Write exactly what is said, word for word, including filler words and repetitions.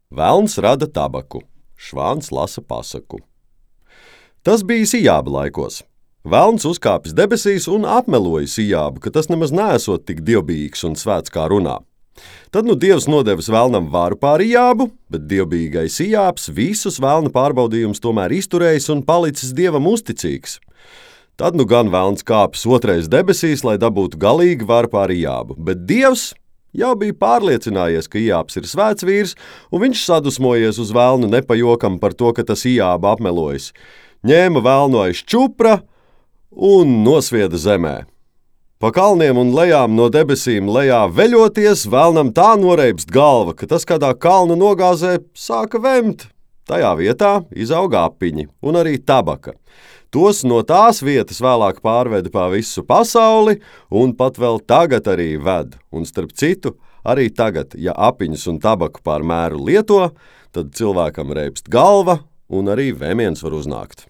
Velns rada tabaku, švāns lasa pasaku. Tas bija Ijāba laikos. Velns uzkāpis debesīs un apmeloja Ijābu, ka tas nemaz neesot tik dievbijīgs un svēts kā runā. Tad nu Dievs nodevis velnam varu pār Ijābu, bet dievbijīgais Ijābs visus velna pārbaudījumus tomēr izturējis un palicis Dievam uzticīgs. Tad nu gan velns kāpis otrais debesīs, lai dabūtu galīgi varu pār Ijābu, bet Dievs jau bija pārliecinājies, ka Ijābs ir svēts vīrs, un viņš sadusmojies uz velnu nepajokam par to, ka tas Ijābu apmelojas. Ņēma velnu aiz čupra un nosvieda zemē. Pa kalniem un lejām no debesīm lejā veļoties, velnam tā noreibst galva, ka tas kādā kalna nogāzē sāka vemt. Tajā vietā izauga apiņi un arī tabaka. Tos no tās vietas vēlāk pārveda pa visu pasauli un pat vēl tagad arī ved. Un starp citu, arī tagad, ja apiņus un tabaku pār mēru lieto, tad cilvēkam reibst galva un arī vēmiens var uznākt.